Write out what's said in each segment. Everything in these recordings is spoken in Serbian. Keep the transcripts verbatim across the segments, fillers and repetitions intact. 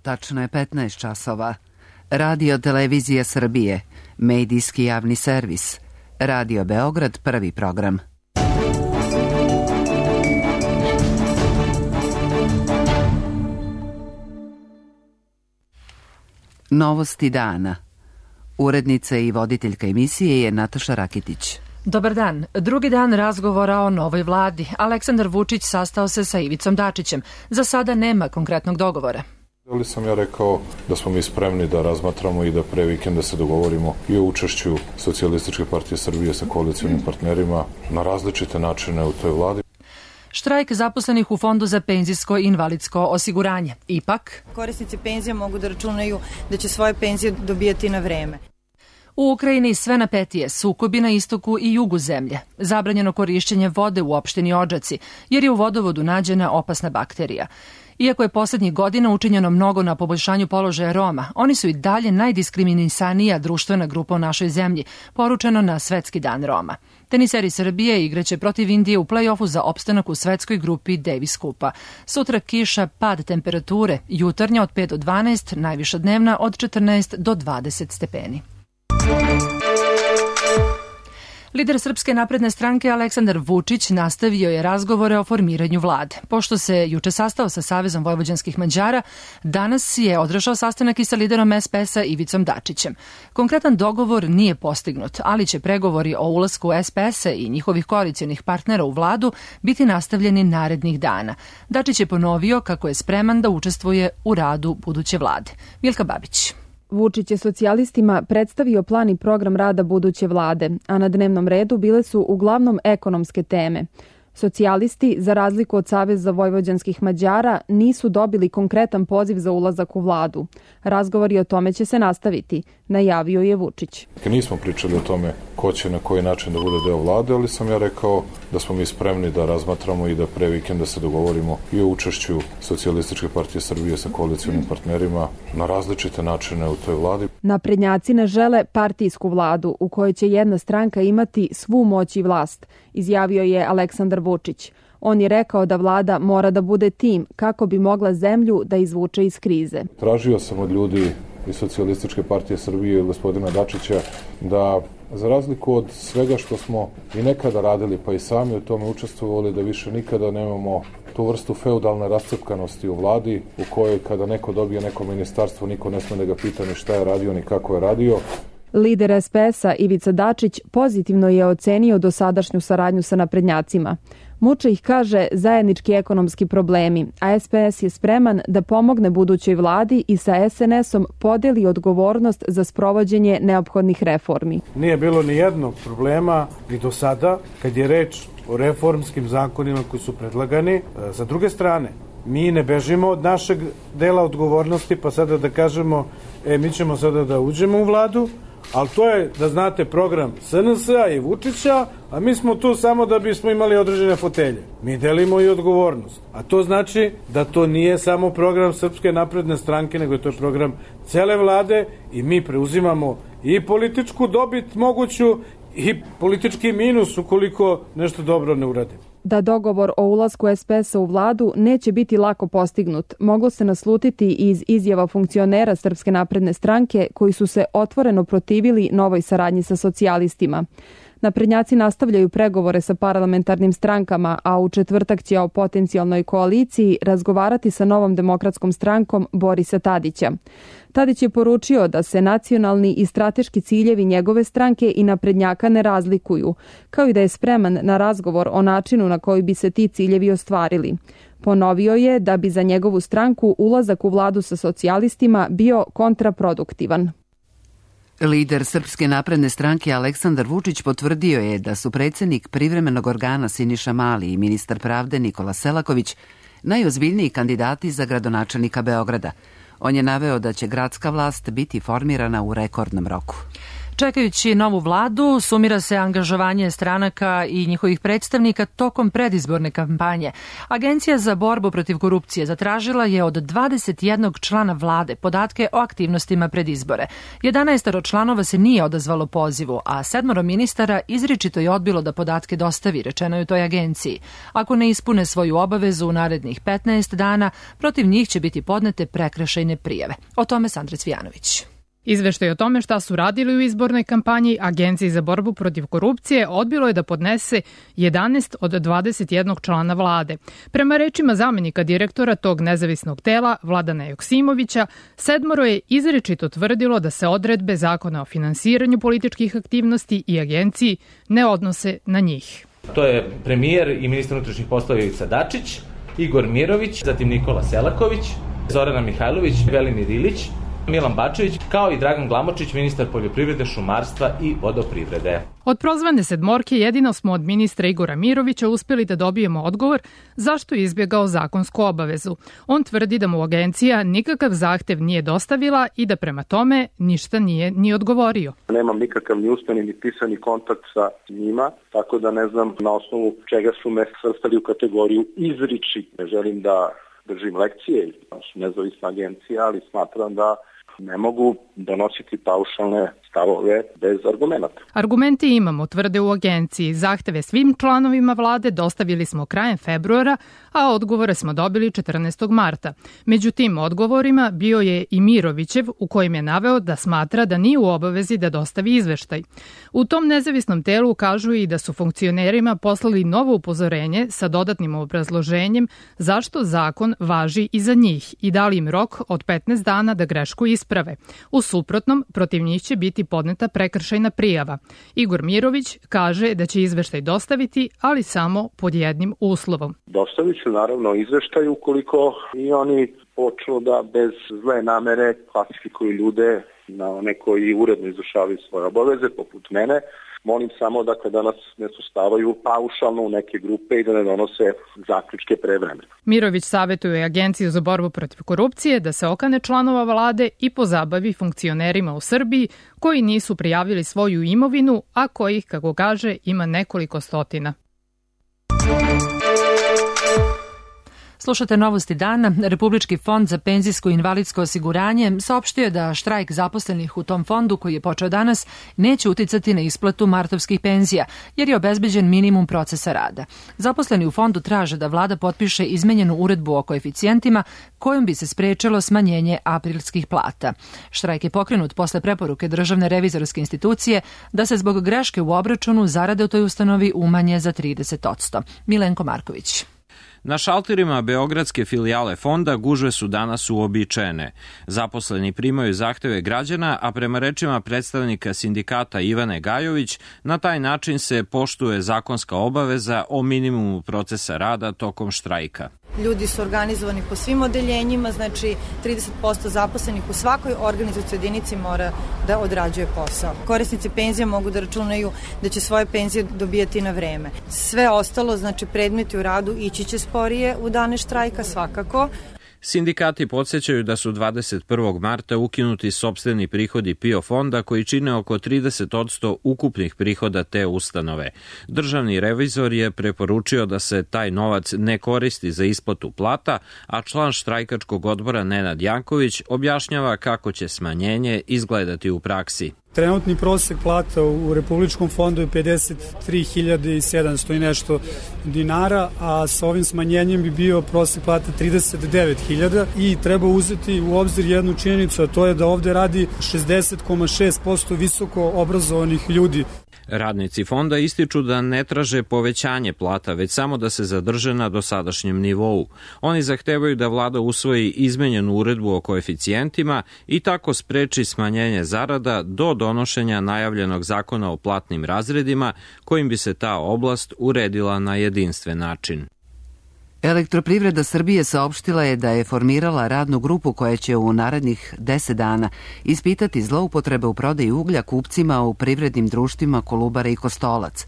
Tačno je petnaest časova. Radio Televizija Srbije, medijski javni servis. Radio Beograd, prvi program. Novosti dana. Urednica i voditeljka emisije je Nataša Rakitić. Dobar dan. Drugi dan razgovora o novoj vladi. Aleksandar Vučić sastao se sa Ivicom Dačićem. Za sada nema konkretnog dogovora. Ali sam ja rekao da smo mi spremni da razmatramo i da pre vikenda se dogovorimo i o učešću Socijalističke partije Srbije sa koalicionim partnerima na različite načine u toj vladi. Štrajk zaposlenih u Fondu za penzijsko i invalidsko osiguranje. Ipak, korisnici penzija mogu da računaju da će svoje penzije dobijati na vreme. U Ukrajini sve napetije, sukobi na istoku i jugu zemlje. Zabranjeno korišćenje vode u opštini Odžaci, jer je u vodovodu nađena opasna bakterija. Iako je poslednjih godina učinjeno mnogo na poboljšanju položaja Roma, oni su i dalje najdiskriminisanija društvena grupa u našoj zemlji, poručeno na Svetski dan Roma. Teniseri Srbije igraće protiv Indije u play-offu za opstanak u svetskoj grupi Davis Kupa. Sutra kiša, pad temperature, jutarnja od pet do dvanaest, najviša dnevna od četrnaest do dvadeset stepeni. Lider Srpske napredne stranke Aleksandar Vučić nastavio je razgovore o formiranju vlade. Pošto se juče sastao sa Savezom vojvođanskih Mađara, danas je održao sastanak i sa liderom es pe es-a Ivicom Dačićem. Konkretan dogovor nije postignut, ali će pregovori o ulasku es pe es-a i njihovih koalicionih partnera u vladu biti nastavljeni narednih dana. Dačić je ponovio kako je spreman da učestvuje u radu buduće vlade. Milka Babić. Vučić je socijalistima predstavio plan i program rada buduće vlade, a na dnevnom redu bile su uglavnom ekonomske teme. Socijalisti, za razliku od Saveza vojvođanskih Mađara, nisu dobili konkretan poziv za ulazak u vladu. Razgovori o tome će se nastaviti, najavio je Vučić. Nismo pričali o tome ko će na koji način da bude deo vlade, ali sam ja rekao da smo mi spremni da razmatramo i da pre vikenda se dogovorimo i o učešću Socijalističke partije Srbije sa koalicionim partnerima na različite načine u toj vladi. Naprednjaci ne žele partijsku vladu u kojoj će jedna stranka imati svu moć i vlast, izjavio je Aleksandar Vučić. On je rekao da vlada mora da bude tim kako bi mogla zemlju da izvuče iz krize. Tražio sam od ljudi iz Socijalističke partije Srbije i gospodina Dačića da, za razliku od svega što smo i nekada radili, pa i sami u tome učestvovali, da više nikada nemamo tu vrstu feudalne rascepkanosti u vladi, u kojoj kada neko dobije neko ministarstvo, niko ne sme da ga pita ni šta je radio, ni kako je radio. Lider es pe es-a Ivica Dačić pozitivno je ocenio dosadašnju saradnju sa naprednjacima. Muče ih, kaže, zajednički ekonomski problemi, a es pe es je spreman da pomogne budućoj vladi i sa es en es-om podeli odgovornost za sprovođenje neophodnih reformi. Nije bilo ni jednog problema i do sada kad je reč o reformskim zakonima koji su predlagani. Sa druge strane, mi ne bežimo od našeg dela odgovornosti, pa sada da kažemo, e, mi ćemo sada da uđemo u vladu, ali to je, da znate, program es en es-a i Vučića, a mi smo tu samo da bismo imali određene fotelje. Mi delimo i odgovornost. A to znači da to nije samo program Srpske napredne stranke, nego to je program cele vlade i mi preuzimamo i političku dobit moguću i politički minus ukoliko nešto dobro ne uradimo. Da dogovor o ulasku es pe es-a u vladu neće biti lako postignut, moglo se naslutiti iz izjava funkcionera Srpske napredne stranke koji su se otvoreno protivili novoj saradnji sa socijalistima. Naprednjaci nastavljaju pregovore sa parlamentarnim strankama, a u četvrtak će o potencijalnoj koaliciji razgovarati sa Novom demokratskom strankom Borisa Tadića. Tadić je poručio da se nacionalni i strateški ciljevi njegove stranke i naprednjaka ne razlikuju, kao i da je spreman na razgovor o načinu na koji bi se ti ciljevi ostvarili. Ponovio je da bi za njegovu stranku ulazak u vladu sa socijalistima bio kontraproduktivan. Lider Srpske napredne stranke Aleksandar Vučić potvrdio je da su predsjednik privremenog organa Siniša Mali i ministar pravde Nikola Selaković najozbiljniji kandidati za gradonačelnika Beograda. On je naveo da će gradska vlast biti formirana u rekordnom roku. Čekajući novu vladu, sumira se angažovanje stranaka i njihovih predstavnika tokom predizborne kampanje. Agencija za borbu protiv korupcije zatražila je od dvadeset jednog člana vlade podatke o aktivnostima pred izbore. jedanaestoro članova se nije odazvalo pozivu, a sedmoro ministara izričito je odbilo da podatke dostavi, rečeno je u toj agenciji. Ako ne ispune svoju obavezu u narednih petnaest dana, protiv njih će biti podnete prekršajne prijave. O tome Sandra Cvijanović. Izveštaj o tome šta su radili u izbornoj kampanji Agenciji za borbu protiv korupcije odbilo je da podnese jedanaest od dvadeset jednog člana vlade. Prema rečima zamenika direktora tog nezavisnog tela, Vladana Joksimovića, sedmoro je izričito tvrdilo da se odredbe Zakona o finansiranju političkih aktivnosti i agenciji ne odnose na njih. To je premijer i ministar unutrašnjih poslova Ivica Dačić, Igor Mirović, zatim Nikola Selaković, Zorana Mihajlović, Velimir Ilić, Milan Bačević, kao i Dragan Glamočić, ministar poljoprivrede, šumarstva i vodoprivrede. Od prozvane sedmorke jedino smo od ministra Igora Mirovića uspeli da dobijemo odgovor zašto je izbjegao zakonsku obavezu. On tvrdi da mu agencija nikakav zahtev nije dostavila i da prema tome ništa nije ni odgovorio. Nemam nikakav ni usmeni ni pisani kontakt sa njima, tako da ne znam na osnovu čega su me svrstali u kategoriju izriči. Ne želim da držim lekcije, nezavisna agencija, ali smatram da ne mogu donositi paušalne stavove bez argumenta. Argumente imamo, tvrde u agenciji. Zahteve svim članovima vlade dostavili smo krajem februara, a odgovore smo dobili četrnaestog marta. Među tim odgovorima bio je i Mirovićev, u kojem je naveo da smatra da nije u obavezi da dostavi izveštaj. U tom nezavisnom telu kažu i da su funkcionerima poslali novo upozorenje sa dodatnim obrazloženjem zašto zakon važi i za njih i dali im rok od petnaest dana da grešku isprave. U suprotnom, protiv njih će biti podneta prekršajna prijava. Igor Mirović kaže da će izveštaj dostaviti, ali samo pod jednim uslovom. Dostavit ću naravno izveštaj ukoliko i oni počnu da bez zle namere klasifikuju ljude na one koji uredno izvršavaju svoje obaveze, poput mene. Molim samo da kada nas ne sustavaju paušalno u neke grupe i da ne donose zaključke pre vremena. Mirović savjetuje Agenciju za borbu protiv korupcije da se okane članova vlade i pozabavi funkcionerima u Srbiji koji nisu prijavili svoju imovinu, a kojih, kako kaže, ima nekoliko stotina. Slušate Novosti dana. Republički fond za penzijsko i invalidsko osiguranje saopštio je da štrajk zaposlenih u tom fondu, koji je počeo danas, neće uticati na isplatu martovskih penzija, jer je obezbeđen minimum procesa rada. Zaposleni u fondu traže da vlada potpiše izmenjenu uredbu o koeficijentima kojom bi se sprečilo smanjenje aprilskih plata. Štrajk je pokrenut posle preporuke Državne revizorske institucije da se zbog greške u obračunu zarade u toj ustanovi umanje za trideset posto. Milenko Marković. Na šalterima beogradske filijale fonda gužve su danas uobičajene. Zaposleni primaju zahteve građana, a prema rečima predstavnika sindikata Ivane Gajović, na taj način se poštuje zakonska obaveza o minimumu procesa rada tokom štrajka. Ljudi su organizovani po svim odeljenjima, znači trideset posto zaposlenih u svakoj organizacijskoj jedinici mora da odrađuje posao. Korisnici penzija mogu da računaju da će svoje penzije dobijati na vreme. Sve ostalo, znači predmeti u radu, ići će sporije u dane štrajka svakako. Sindikati podsjećaju da su dvadeset prvog marta ukinuti sopstveni prihodi PIO fonda koji čine oko trideset posto ukupnih prihoda te ustanove. Državni revizor je preporučio da se taj novac ne koristi za isplatu plata, a član štrajkačkog odbora Nenad Janković objašnjava kako će smanjenje izgledati u praksi. Trenutni prosek plata u Republičkom fondu je pedeset tri hiljade sedamsto i nešto dinara, a sa ovim smanjenjem bi bio prosek plata trideset devet hiljada i treba uzeti u obzir jednu činjenicu, a to je da ovde radi šezdeset zarez šest posto visoko obrazovanih ljudi. Radnici fonda ističu da ne traže povećanje plata, već samo da se zadrže na dosadašnjem nivou. Oni zahtevaju da vlada usvoji izmenjenu uredbu o koeficijentima i tako spreči smanjenje zarada do donošenja najavljenog zakona o platnim razredima, kojim bi se ta oblast uredila na jedinstven način. Elektroprivreda Srbije saopštila je da je formirala radnu grupu koja će u narednih deset dana ispitati zloupotrebe u prodaji uglja kupcima u privrednim društvima Kolubara i Kostolac.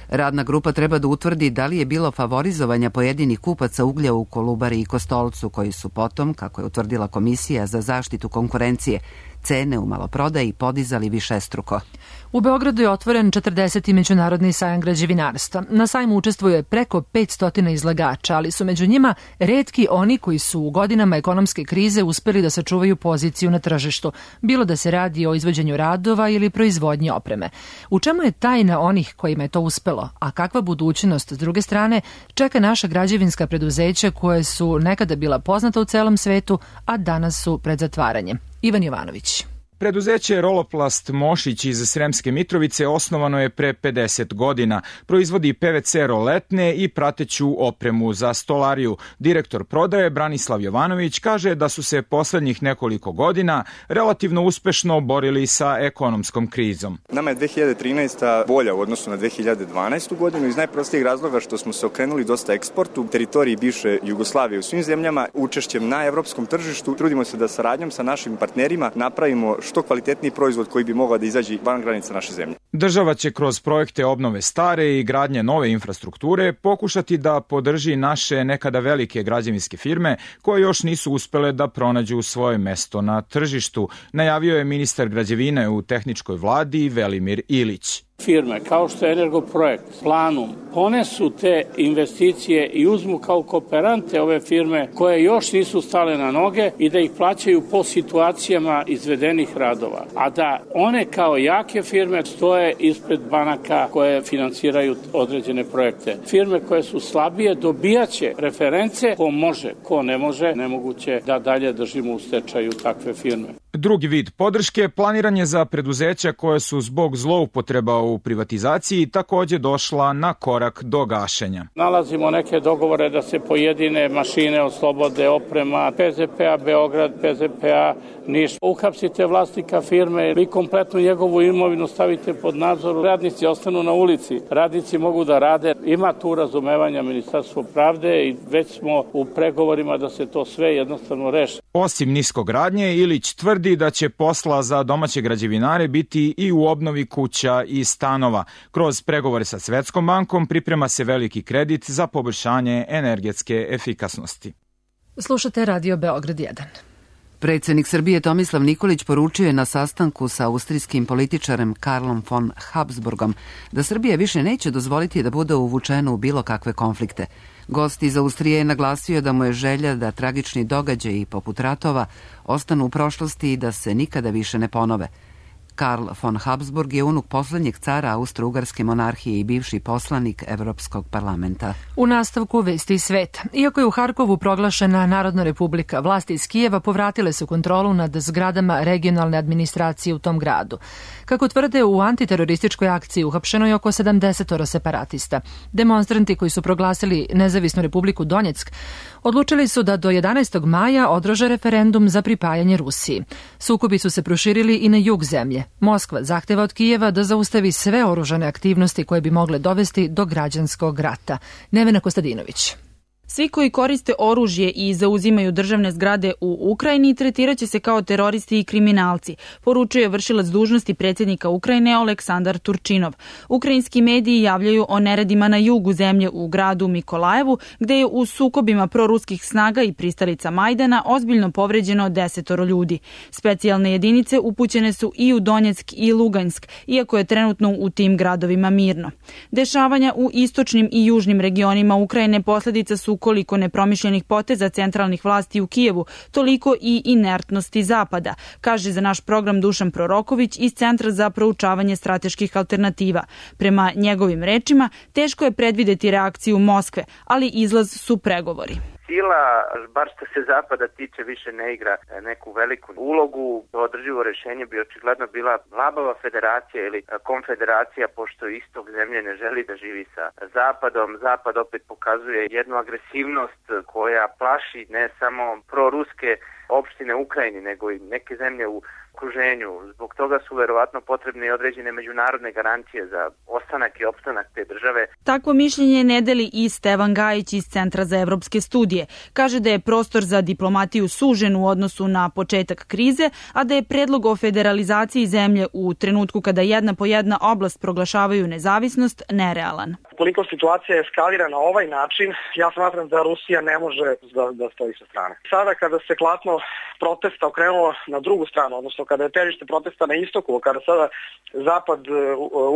Radna grupa treba da utvrdi da li je bilo favorizovanja pojedinih kupaca uglja u Kolubari i Kostolcu, koji su potom, kako je utvrdila Komisija za zaštitu konkurencije, cene u maloprodaji podizali višestruko. U Beogradu je otvoren četrdeseti međunarodni sajam građevinarstva. Na sajmu učestvuje preko petsto izlagača, ali su među njima retki oni koji su u godinama ekonomske krize uspeli da sačuvaju poziciju na tržištu, bilo da se radi o izvođenju radova ili proizvodnji opreme. U čemu je tajna onih kojima je to uspelo, a kakva budućnost, s druge strane, čeka naša građevinska preduzeća koje su nekada bila poznata u celom svetu, a danas su pred zatvaranjem? Ivan Jovanović. Preduzeće Roloplast Mošić iz Sremske Mitrovice osnovano je pre pedeset godina. Proizvodi P V C roletne i prateću opremu za stolariju. Direktor prodaje Branislav Jovanović kaže da su se poslednjih nekoliko godina relativno uspešno borili sa ekonomskom krizom. Nama je dve hiljade trinaesta bolja u odnosu na dve hiljade dvanaestu godinu iz najprostijeg razloga što smo se okrenuli dosta eksportu, teritoriji bivše Jugoslavije u svim zemljama, učešćem na evropskom tržištu. Trudimo se da saradnjom sa našim partnerima napravimo što kvalitetniji proizvod koji bi mogao da izađe van granica naše zemlje. Država će kroz projekte obnove stare i gradnje nove infrastrukture pokušati da podrži naše nekada velike građevinske firme koje još nisu uspele da pronađu svoje mesto na tržištu, najavio je ministar građevine u tehničkoj vladi Velimir Ilić. Firme kao što je Energoprojekt, Planum, ponesu te investicije i uzmu kao kooperante ove firme koje još nisu stale na noge i da ih plaćaju po situacijama izvedenih radova. A da one kao jake firme stoje ispred banaka koje finansiraju određene projekte. Firme koje su slabije dobijaće reference, ko može, ko ne može, nemoguće da dalje držimo u stečaju takve firme. Drugi vid podrške planiran je za preduzeća koje su zbog zloupotreba u privatizaciji takođe došla na korak do gašenja. Nalazimo neke dogovore da se pojedine mašine oslobode oprema P Z P A Beograd, P Z P A Niš. Uhapsite vlasnika firme, vi kompletnu njegovu imovinu stavite pod nadzor, radnici ostanu na ulici, radnici mogu da rade. Ima tu razumevanja Ministarstvo pravde i već smo u pregovorima da se to sve jednostavno reši. Osim niskogradnje, Ilić tvrdi da će posla za domaće građevinare biti i u obnovi kuća i stanova. Kroz pregovore sa Svetskom bankom priprema se veliki kredit za poboljšanje energetske efikasnosti. Slušate Radio Beograd jedan. Predsednik Srbije Tomislav Nikolić poručio je na sastanku sa austrijskim političarem Karlom von Habsburgom da Srbija više neće dozvoliti da bude uvučena u bilo kakve konflikte. Gost iz Austrije je naglasio da mu je želja da tragični događaji poput ratova ostanu u prošlosti i da se nikada više ne ponove. Karl von Habsburg je unuk poslednjeg cara Austro-Ugarske monarhije i bivši poslanik Evropskog parlamenta. U nastavku vesti iz sveta. Iako je u Harkovu proglašena Narodna republika, vlasti iz Kijeva povratile su kontrolu nad zgradama regionalne administracije u tom gradu. Kako tvrde, u antiterorističkoj akciji uhapšeno je oko sedamdeset separatista. Demonstranti koji su proglasili nezavisnu republiku Donjeck odlučili su da do jedanaestog maja održe referendum za pripajanje Rusiji. Sukobi su se proširili i na jug zemlje. Moskva zahteva od Kijeva da zaustavi sve oružane aktivnosti koje bi mogle dovesti do građanskog rata. Nevena Kostadinović. Svi koji koriste oružje i zauzimaju državne zgrade u Ukrajini tretiraće se kao teroristi i kriminalci, poručuje vršilac dužnosti predsjednika Ukrajine Oleksandar Turčinov. Ukrajinski mediji javljaju o neredima na jugu zemlje u gradu Mikolajevu, gde je u sukobima proruskih snaga i pristalica Majdana ozbiljno povređeno desetoro ljudi. Specijalne jedinice upućene su i u Donjeck i Lugansk, iako je trenutno u tim gradovima mirno. Dešavanja u istočnim i južnim regionima Ukrajine posledica su koliko nepromišljenih poteza centralnih vlasti u Kijevu, toliko i inertnosti Zapada, kaže za naš program Dušan Proroković iz Centra za proučavanje strateških alternativa. Prema njegovim rečima, teško je predvideti reakciju Moskve, ali izlaz su pregovori. Sila, bar što se Zapada tiče, više ne igra neku veliku ulogu. Održivo rješenje bi očigledno bila labava federacija ili konfederacija, pošto istog zemlje ne želi da živi sa Zapadom. Zapad opet pokazuje jednu agresivnost koja plaši ne samo proruske opštine u Ukrajini, nego i neke zemlje u okruženju. Zbog toga su verovatno potrebne i određene međunarodne garancije za ostanak i opstanak te države. Takvo mišljenje ne deli i Stevan Gajić iz Centra za evropske studije. Kaže da je prostor za diplomatiju sužen u odnosu na početak krize, a da je predlog o federalizaciji zemlje u trenutku kada jedna po jedna oblast proglašavaju nezavisnost nerealan. ukoliko situacija eskalira na ovaj način, ja smatram da Rusija ne može da, da stoji sa strane. Sada kada se klatno protesta okrenulo na drugu stranu, odnosno kada je težište protesta na istoku, kada sada zapad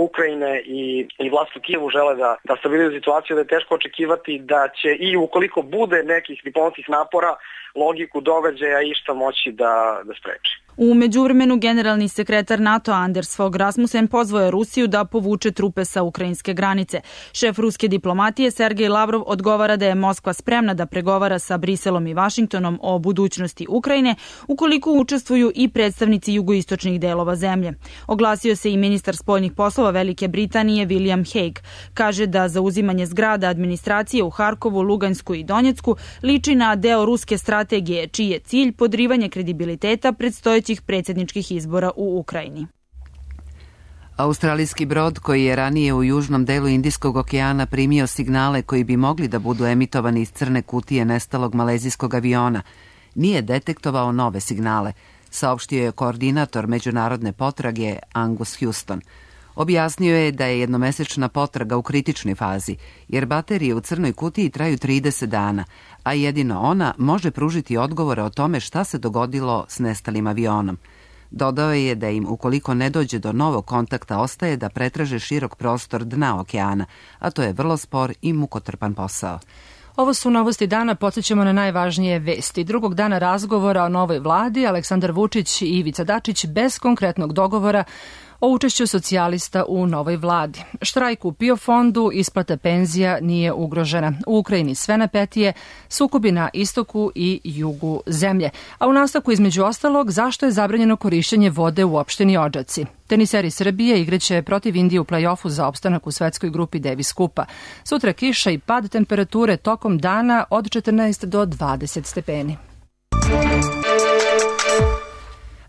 Ukrajine i, i vlast u Kijevu žele da, da stabilizuju situaciju, da je teško očekivati da će i ukoliko bude nekih diplomatskih napora, logiku događaja išta moći da, da spreči. U međuvremenu generalni sekretar NATO Anders Fogh Rasmussen pozvao je Rusiju da povuče trupe sa ukrajinske granice. Šef ruske diplomatije Sergej Lavrov odgovara da je Moskva spremna da pregovara sa Briselom i Vašingtonom o budućnosti Ukrajine ukoliko učestvuju i predstavnici jugoistočnih delova zemlje. Oglasio se i ministar spoljnih poslova Velike Britanije William Hague. Kaže da zauzimanje zgrada administracije u Harkovu, Lugansku i Donjecku liči na deo ruske strategije, čiji je cilj podrivanje kredibiliteta predstojećih predsjedničkih izbora u Ukrajini. Australijski brod koji je ranije u južnom delu Indijskog okeana primio signale koji bi mogli da budu emitovani iz crne kutije nestalog malezijskog aviona, nije detektovao nove signale, saopštio je koordinator međunarodne potrage Angus Houston. Objasnio je da je jednomesečna potraga u kritičnoj fazi, jer baterije u crnoj kutiji traju trideset dana, a jedino ona može pružiti odgovore o tome šta se dogodilo s nestalim avionom. Dodao je da im, ukoliko ne dođe do novog kontakta, ostaje da pretraže širok prostor dna okeana, a to je vrlo spor i mukotrpan posao. Ovo su novosti dana, podsjećamo na najvažnije vesti. Drugog dana razgovora o novoj vladi, Aleksandar Vučić i Ivica Dačić bez konkretnog dogovora o učešću socijalista u novoj vladi. Štrajk u PIO fondu, isplata penzija nije ugrožena. U Ukrajini sve napetije, sukobi na istoku i jugu zemlje. A u nastavku između ostalog, zašto je zabranjeno korišćenje vode u opštini Odžaci. Teniseri Srbije igraće protiv Indije u play-offu za opstanak u svetskoj grupi Davis Kupa. Sutra kiša i pad temperature tokom dana od četrnaest do dvadeset stepeni.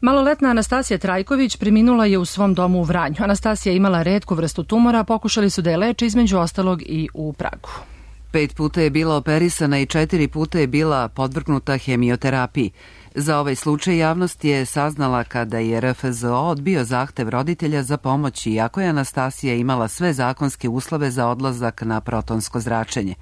Maloletna Anastasija Trajković preminula je u svom domu u Vranju. Anastasija je imala retku vrstu tumora, pokušali su da je leče između ostalog i u Pragu. Pet puta je bila operisana i četiri puta je bila podvrgnuta hemioterapiji. Za ovaj slučaj javnost je saznala kada je R F Z O odbio zahtev roditelja za pomoć, iako je Anastasija imala sve zakonske uslove za odlazak na protonsko zračenje.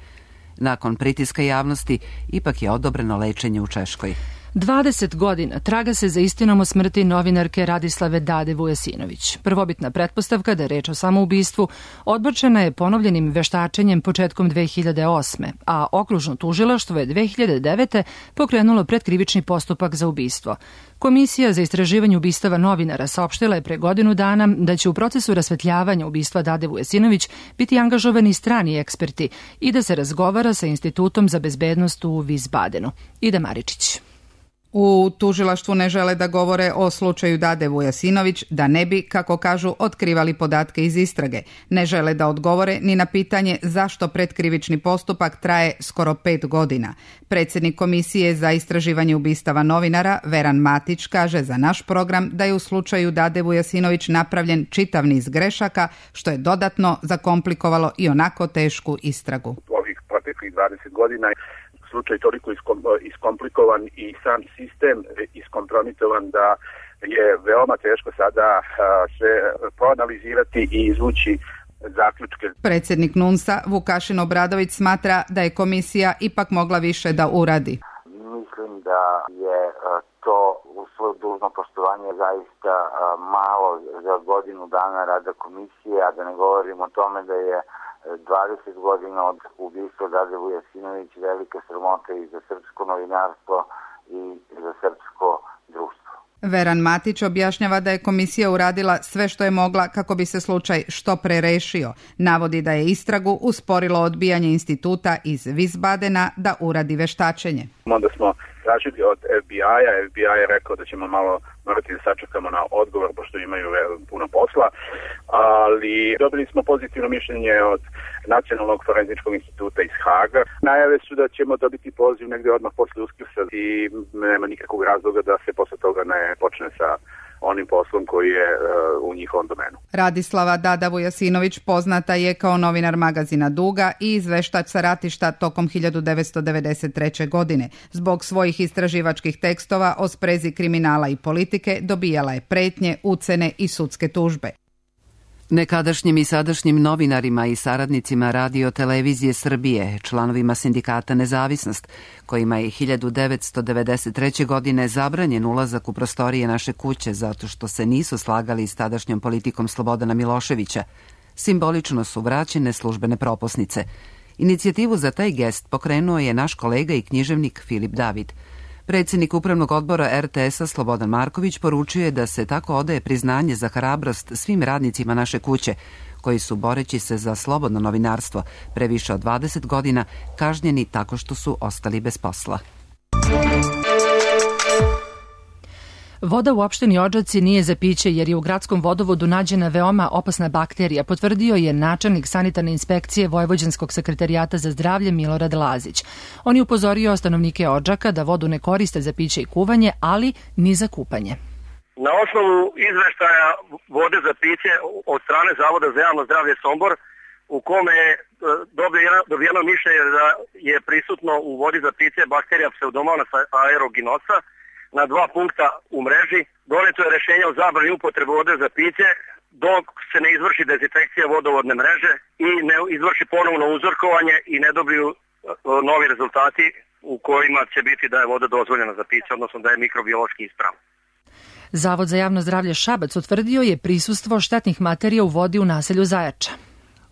Nakon pritiska javnosti, ipak je odobreno lečenje u Češkoj. dvadeset godina traga se za istinom o smrti novinarke Radislave Dade Vujasinović. Prvobitna pretpostavka da je reč o samoubistvu odbačena je ponovljenim veštačenjem početkom dve hiljade osme, a okružno tužilaštvo je dve hiljade devete pokrenulo predkrivični postupak za ubistvo. Komisija za istraživanje ubistava novinara saopštila je pre godinu dana da će u procesu rasvetljavanja ubistva Dade Vujasinović biti angažovani strani eksperti i da se razgovara sa Institutom za bezbednost u Wiesbadenu. Ida Maričić. U tužilaštvu ne žele da govore o slučaju Dade Vujasinović, da ne bi, kako kažu, otkrivali podatke iz istrage. Ne žele da odgovore ni na pitanje zašto predkrivični postupak traje skoro pet godina. Predsjednik Komisije za istraživanje ubistava novinara, Veran Matić, kaže za naš program da je u slučaju Dade Vujasinović napravljen čitav niz grešaka, što je dodatno zakomplikovalo i onako tešku istragu. Ovih proteklih dvadeset godina slučaj toliko iskomplikovan i sam sistem iskompromitovan da je veoma teško sada sve proanalizirati i izvući zaključke. Predsjednik NUNS-a Vukašin Obradović smatra da je komisija ipak mogla više da uradi. Mislim da je to u svoje dužno poštovanje zaista malo za godinu dana rada komisije, a da ne govorim o tome da je dvadeset godina od ubistva Dade Vujasinović velika sramota i za srpsko novinarstvo i za srpsko društvo. Veran Matić objašnjava da je komisija uradila sve što je mogla kako bi se slučaj što pre rešio. Navodi da je istragu usporilo odbijanje instituta iz Wiesbadena da uradi veštačenje. Onda smo tražili od F B I-a, F B I je rekao da ćemo malo morati da sačekamo na odgovor, pošto imaju puno posla, ali dobili smo pozitivno mišljenje od Nacionalnog forenzičkog instituta iz Haga. Najave su da ćemo dobiti poziv negde odmah posle Uskrsa i nema nikakvog razloga da se posle toga ne počne sa onim poslom koji je uh, u njihovom domenu. Radislava Dada Vujasinović poznata je kao novinar magazina Duga i izveštač sa ratišta tokom hiljadu devetsto devedeset treće. godine. Zbog svojih istraživačkih tekstova o sprezi kriminala i politike dobijala je pretnje, ucene i sudske tužbe. Nekadašnjim i sadašnjim novinarima i saradnicima Radio Televizije Srbije, članovima sindikata Nezavisnost, kojima je hiljadu devetsto devedeset treće. godine zabranjen ulazak u prostorije naše kuće zato što se nisu slagali s tadašnjom politikom Slobodana Miloševića, simbolično su vraćene službene propusnice. Inicijativu za taj gest pokrenuo je naš kolega i književnik Filip David. Predsjednik Upravnog odbora er te es-a Slobodan Marković poručuje da se tako odaje priznanje za hrabrost svim radnicima naše kuće, koji su, boreći se za slobodno novinarstvo pre više od dvadeset godina, kažnjeni tako što su ostali bez posla. Voda u opštini Odžaci nije za piće jer je u gradskom vodovodu nađena veoma opasna bakterija, potvrdio je načelnik sanitarne inspekcije Vojvođanskog sekretarijata za zdravlje Milorad Lazić. On je upozorio stanovnike Odžaka da vodu ne koriste za piće i kuvanje, ali ni za kupanje. Na osnovu izveštaja vode za piće od strane Zavoda za javno zdravlje Sombor, u kome je dobijeno mišljenje da je prisutno u vodi za piće bakterija Pseudomonas aeruginosa, na dva punkta u mreži doneto je rešenje o zabrani upotrebe vode za piće dok se ne izvrši dezinfekcija vodovodne mreže i ne izvrši ponovno uzorkovanje i ne dobiju novi rezultati u kojima će biti da je voda dozvoljena za piće, odnosno da je mikrobiološki ispravna. Zavod za javno zdravlje Šabac utvrdio je prisustvo štetnih materija u vodi u naselju Zajača.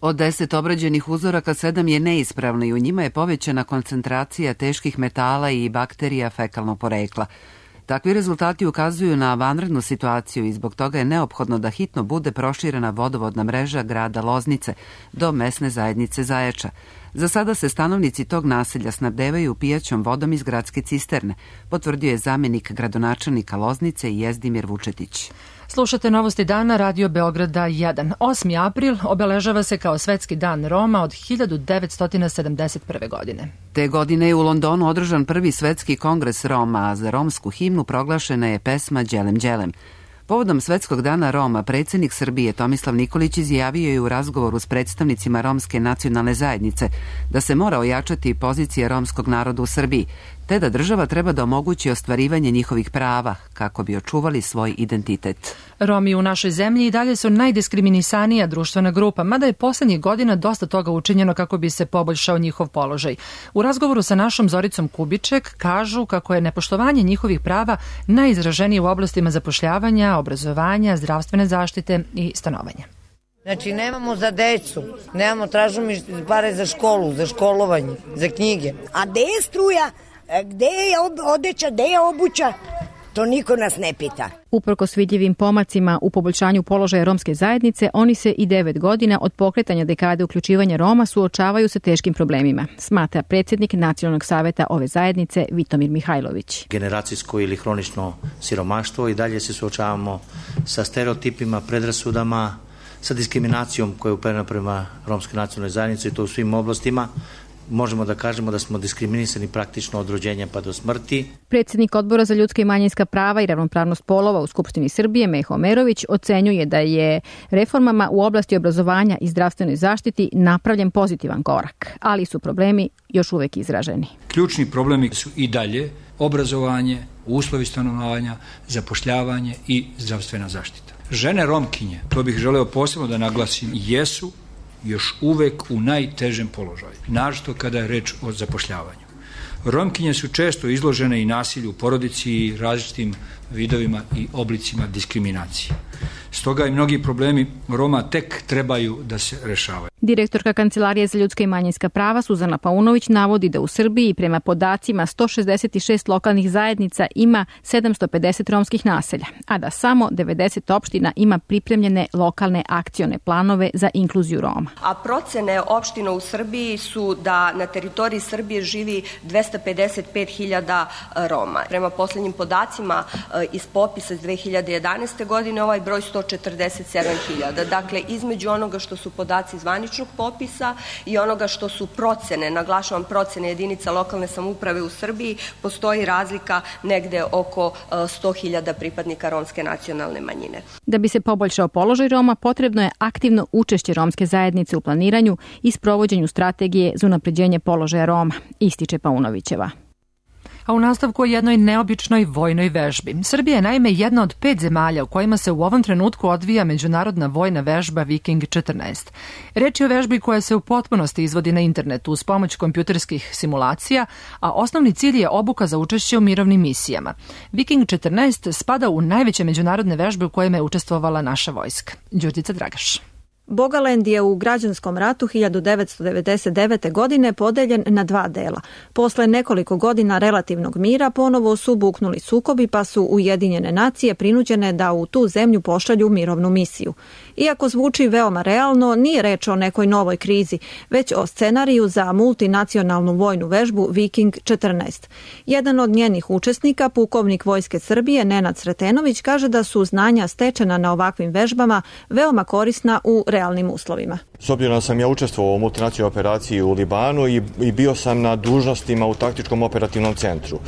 Od deset obrađenih uzoraka sedam je neispravno i u njima je povećana koncentracija teških metala i bakterija fekalnog porekla. Takvi rezultati ukazuju na vanrednu situaciju i zbog toga je neophodno da hitno bude proširena vodovodna mreža grada Loznice do mesne zajednice Zajača. Za sada se stanovnici tog naselja snabdevaju pijaćom vodom iz gradske cisterne, potvrdio je zamenik gradonačelnika Loznice Jezdimir Vučetić. Slušate Novosti dana Radio Beograda jedan. osmi april obeležava se kao Svetski dan Roma od hiljadu devetsto sedamdeset prve. godine. Te godine je u Londonu održan prvi svetski kongres Roma, a za romsku himnu proglašena je pesma Đelem Đelem. Povodom Svetskog dana Roma, predsjednik Srbije Tomislav Nikolić izjavio je u razgovoru s predstavnicima romske nacionalne zajednice da se mora ojačati pozicija romskog naroda u Srbiji, te da država treba da omogući ostvarivanje njihovih prava kako bi očuvali svoj identitet. Romi u našoj zemlji i dalje su najdiskriminisanija društvena grupa, mada je poslednjih godina dosta toga učinjeno kako bi se poboljšao njihov položaj. U razgovoru sa našom Zoricom Kubiček kažu kako je nepoštovanje njihovih prava najizraženije u oblastima zapošljavanja, obrazovanja, zdravstvene zaštite i stanovanja. Znači, nemamo za decu, nemamo, tražimo pare za školu, za školovanje, za knjige. A gde je struja, gde je odeća, gde je obuća, to niko nas ne pita. Uprkos vidljivim pomacima u poboljšanju položaja romske zajednice, oni se i devet godina od pokretanja dekade uključivanja Roma suočavaju sa teškim problemima, smatra predsjednik Nacionalnog saveta ove zajednice Vitomir Mihajlović. Generacijsko ili hronično siromaštvo i dalje se suočavamo sa stereotipima, predrasudama, sa diskriminacijom koja je uperena prema romskoj nacionalnoj zajednici i to u svim oblastima. Možemo da kažemo da smo diskriminisani praktično od rođenja pa do smrti. Predsjednik Odbora za ljudska i manjinska prava i ravnopravnost polova u Skupštini Srbije, Meho Omerović, ocenjuje da je reformama u oblasti obrazovanja i zdravstvenoj zaštiti napravljen pozitivan korak, ali su problemi još uvek izraženi. Ključni problemi su i dalje obrazovanje, uslovi stanovanja, zapošljavanje i zdravstvena zaštita. Žene Romkinje, to bih želeo posebno da naglasim, jesu još uvek u najtežem položaju, naročito kada je reč o zapošljavanju. Romkinje su često izložene i nasilju u porodici i različitim vidovima i oblicima diskriminacije. Stoga i mnogi problemi Roma tek trebaju da se rešavaju. Direktorka Kancelarije za ljudska i manjinska prava Suzana Paunović navodi da u Srbiji prema podacima sto šezdeset šest lokalnih zajednica ima sedamsto pedeset romskih naselja, a da samo devedeset opština ima pripremljene lokalne akcione planove za inkluziju Roma. A procene opština u Srbiji su da na teritoriji Srbije živi dvesta pedeset pet hiljada Roma. Prema poslednjim podacima iz popisa iz dve hiljade jedanaeste. godine ovaj broj sto četrdeset sedam hiljada. Dakle, između onoga što su podaci zvaničnog popisa i onoga što su procene, naglašavam procene jedinica lokalne samouprave u Srbiji, postoji razlika negde oko sto hiljada pripadnika romske nacionalne manjine. Da bi se poboljšao položaj Roma, potrebno je aktivno učešće romske zajednice u planiranju i sprovođenju strategije za unapređenje položaja Roma, ističe Paunovićeva. A u nastavku o jednoj neobičnoj vojnoj vežbi. Srbija je naime jedna od pet zemalja u kojima se u ovom trenutku odvija međunarodna vojna vežba Viking četrnaest. Reč je o vežbi koja se u potpunosti izvodi na internetu uz pomoć kompjuterskih simulacija, a osnovni cilj je obuka za učešće u mirovnim misijama. Viking četrnaest spada u najveće međunarodne vežbe u kojima je učestvovala naša vojska. Đurđica Dragaš. Bogaland je u građanskom ratu hiljadu devetsto devedeset devete. godine podeljen na dva dela. Posle nekoliko godina relativnog mira ponovo su buknuli sukobi, pa su Ujedinjene nacije prinuđene da u tu zemlju pošalju mirovnu misiju. Iako zvuči veoma realno, nije reč o nekoj novoj krizi, već o scenariju za multinacionalnu vojnu vežbu Viking četrnaest. Jedan od njenih učesnika, pukovnik Vojske Srbije Nenad Sretenović, kaže da su znanja stečena na ovakvim vežbama veoma korisna u realnim uslovima. S obzirom da sam ja učestvovao u multinacionalnoj operaciji u Libanu i, i bio sam na dužnostima u taktičkom operativnom centru.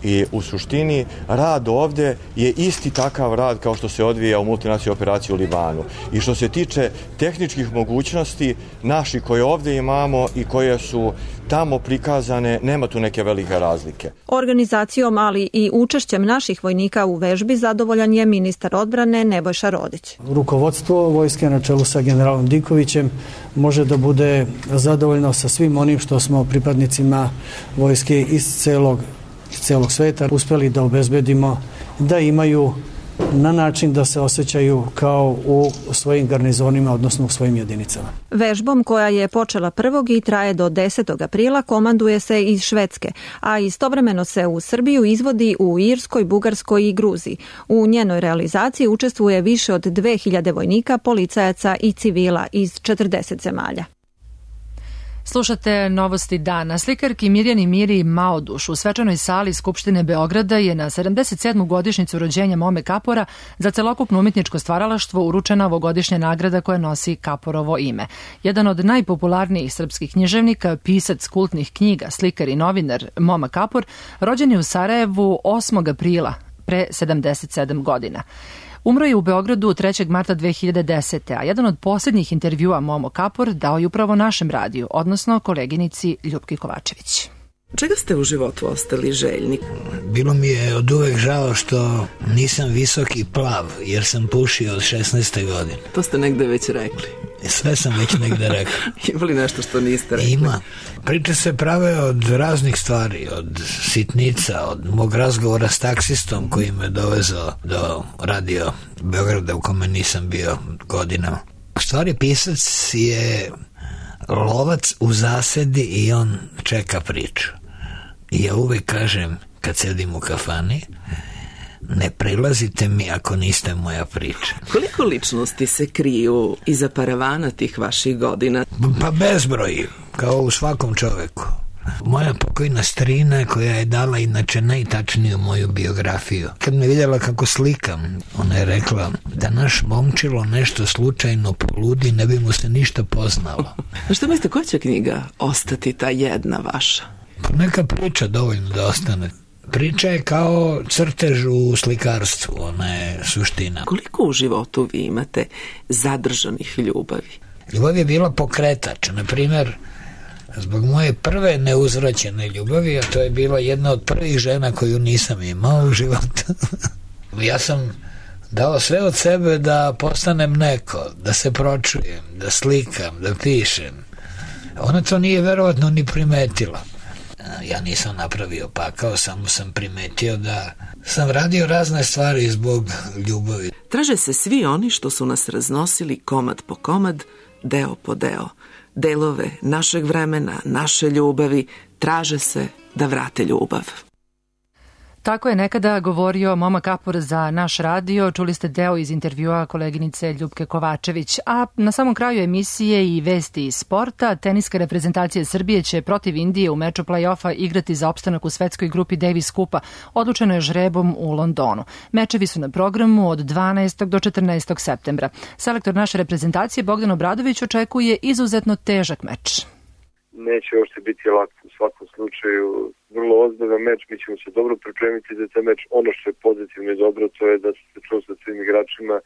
I u suštini rad ovde je isti takav rad kao što se odvija u multinacionalnoj operaciji u Libanu. I što se tiče tehničkih mogućnosti naših koje ovde imamo i koje su tamo prikazane, nema tu neke velike razlike. Organizacijom, ali i učešćem naših vojnika u vežbi zadovoljan je ministar odbrane Nebojša Rodić. Rukovodstvo vojske na čelu sa generalom Dikovićem može da bude zadovoljno sa svim onim što smo pripadnicima vojske iz celog celog sveta uspeli da obezbedimo da imaju na način da se osjećaju kao u svojim garnizonima, odnosno u svojim jedinicama. Vežbom koja je počela prvog i traje do desetog aprila komanduje se iz Švedske, a istovremeno se u Srbiju izvodi u Irskoj, Bugarskoj i Gruziji. U njenoj realizaciji učestvuje više od dve hiljade vojnika, policajaca i civila iz četrdeset zemalja. Slušate Novosti dana. Slikarki Mirjani Miri Maoduš u svečanoj sali Skupštine Beograda je na sedamdeset sedmu godišnjicu rođenja Mome Kapora za celokupno umetničko stvaralaštvo uručena ovogodišnja nagrada koja nosi Kaporovo ime. Jedan od najpopularnijih srpskih književnika, pisac kultnih knjiga, slikar i novinar Moma Kapor, rođen je u Sarajevu osmog aprila pre sedamdeset sedam godina. Umro je u Beogradu trećeg marta dve hiljade desete. a jedan od posljednjih intervjua Momo Kapor dao je upravo našem radiju, odnosno koleginici Ljupki Kovačević. Čega ste u životu ostali željni? Bilo mi je od uvek žao što nisam visok i plav, jer sam pušio od šesnaeste godine. To ste negde već rekli. Sve sam već negde rekao. Ima li nešto što niste rekli? Ima. Priče se prave od raznih stvari, od sitnica, od mog razgovora s taksistom koji me dovezao do radio Beograda u kome nisam bio godinama. U stvari pisac je lovac u zasedi i on čeka priču. I ja uvek kažem, kad sedim u kafani, ne prilazite mi ako niste moja priča. Koliko ličnosti se kriju iza paravana tih vaših godina? Pa bezbroj, kao u svakom čoveku. Moja pokojna strina koja je dala inače najtačniju moju biografiju. Kad me vidjela kako slikam, ona je rekla da naš momčilo nešto slučajno poludi, ne bi mu se ništa poznalo. A što mislite, koja će knjiga ostati ta jedna vaša? Pa neka priča dovoljno da ostane. Priča je kao crtež u slikarstvu, ona je suština. Koliko u životu vi imate zadržanih ljubavi? Ljubav je bila pokretač, na primjer, zbog moje prve neuzvraćene ljubavi, a to je bila jedna od prvih žena koju nisam imao u životu. Ja sam dao sve od sebe da postanem neko, da se pročujem, da slikam, da pišem. Ona to nije verovatno ni primetila. Ja nisam napravio pakao, samo sam primetio da sam radio razne stvari zbog ljubavi. Traže se svi oni što su nas raznosili komad po komad, deo po deo. Delove našeg vremena, naše ljubavi, traže se da vrate ljubav. Tako je nekada govorio Moma Kapor za naš radio. Čuli ste deo iz intervjua koleginice Ljupke Kovačević. A na samom kraju emisije i vesti iz sporta, teniska reprezentacija Srbije će protiv Indije u meču play-offa igrati za opstanak u svetskoj grupi Davis Kupa. Odlučeno je žrebom u Londonu. Mečevi su na programu od dvanaestog do četrnaestog septembra. Selektor naše reprezentacije Bogdan Obradović očekuje izuzetno težak meč. Neće uopšte biti lako u svakom slučaju. Vrlo ozbiljan meč, mi ćemo se dobro pripremiti za taj meč. Ono što je pozitivno i dobro, to je da su se čuo sa svim igračima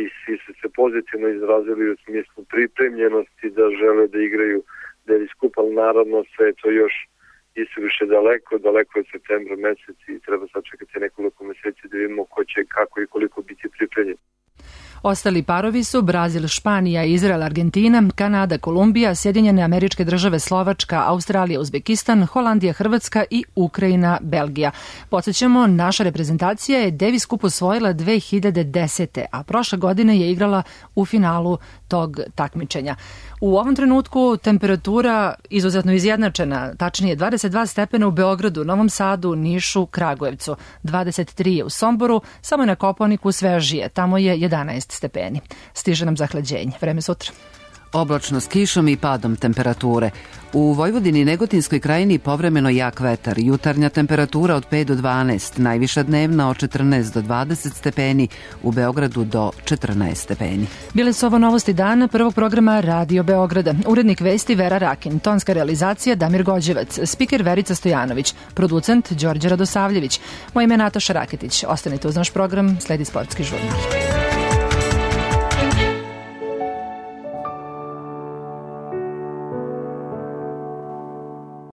i svi su se pozitivno izrazili u smislu pripremljenosti da žele da igraju Davis Cup, ali naravno sve je to još isuviše daleko, daleko je septembra mesec i treba sačekati nekoliko meseci da vidimo ko će, kako i koliko biti pripremljen. Ostali parovi su Brazil, Španija, Izrael, Argentina, Kanada, Kolumbija, Sjedinjene Američke Države, Slovačka, Australija, Uzbekistan, Holandija, Hrvatska i Ukrajina, Belgija. Podsjećamo, naša reprezentacija je Davis Cup osvojila dve hiljade desete. a prošle godine je igrala u finalu tog takmičenja. U ovom trenutku temperatura izuzetno izjednačena, tačnije dvadeset dva stepena u Beogradu, Novom Sadu, Nišu, Kragujevcu, dvadeset tri je u Somboru, samo je na Kopaoniku svežije, tamo je jedanaest stepeni. Stiže nam zahlađenje. Vreme sutra. Oblačno s kišom i padom temperature. U Vojvodini i Negotinskoj krajini povremeno jak vetar. Jutarnja temperatura od pet do dvanaest, najviša dnevna od četrnaest do dvadeset stepeni, u Beogradu do četrnaest stepeni. Bile su ovo novosti dana prvog programa Radio Beograda. Urednik vesti Vera Rakin, tonska realizacija Damir Gođevac, spiker Verica Stojanović, producent Đorđe Radosavljević. Moje ime je Nataša Raketić. Ostanite uz naš program, sledi sportski žurnal.